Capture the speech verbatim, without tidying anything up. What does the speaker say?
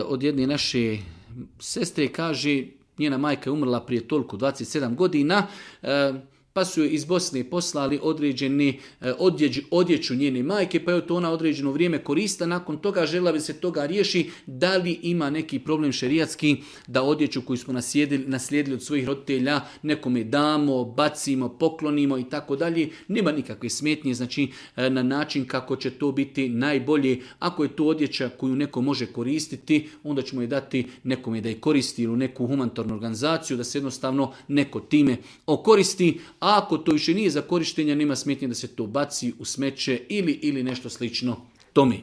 Od jedne naše sestre kaže, njena majka je umrla prije toliko, dvadeset sedam godina, pa su joj iz Bosne poslali određeni odjeđu, odjeću njene majke, pa je to ona određeno vrijeme korista. Nakon toga žela bi se toga riješi, da li ima neki problem šerijatski da odjeću koju smo naslijedili od svojih roditelja nekome damo, bacimo, poklonimo i tako dalje. Nema nikakve smetnje, znači na način kako će to biti najbolje. Ako je to odjeća koju neko može koristiti, onda ćemo je dati nekome da je koristi ili u neku humanitarnu organizaciju, da se jednostavno neko time okoristi. A ako to više nije za korištenje, nema smetnje da se to baci u smeće ili, ili nešto slično tome.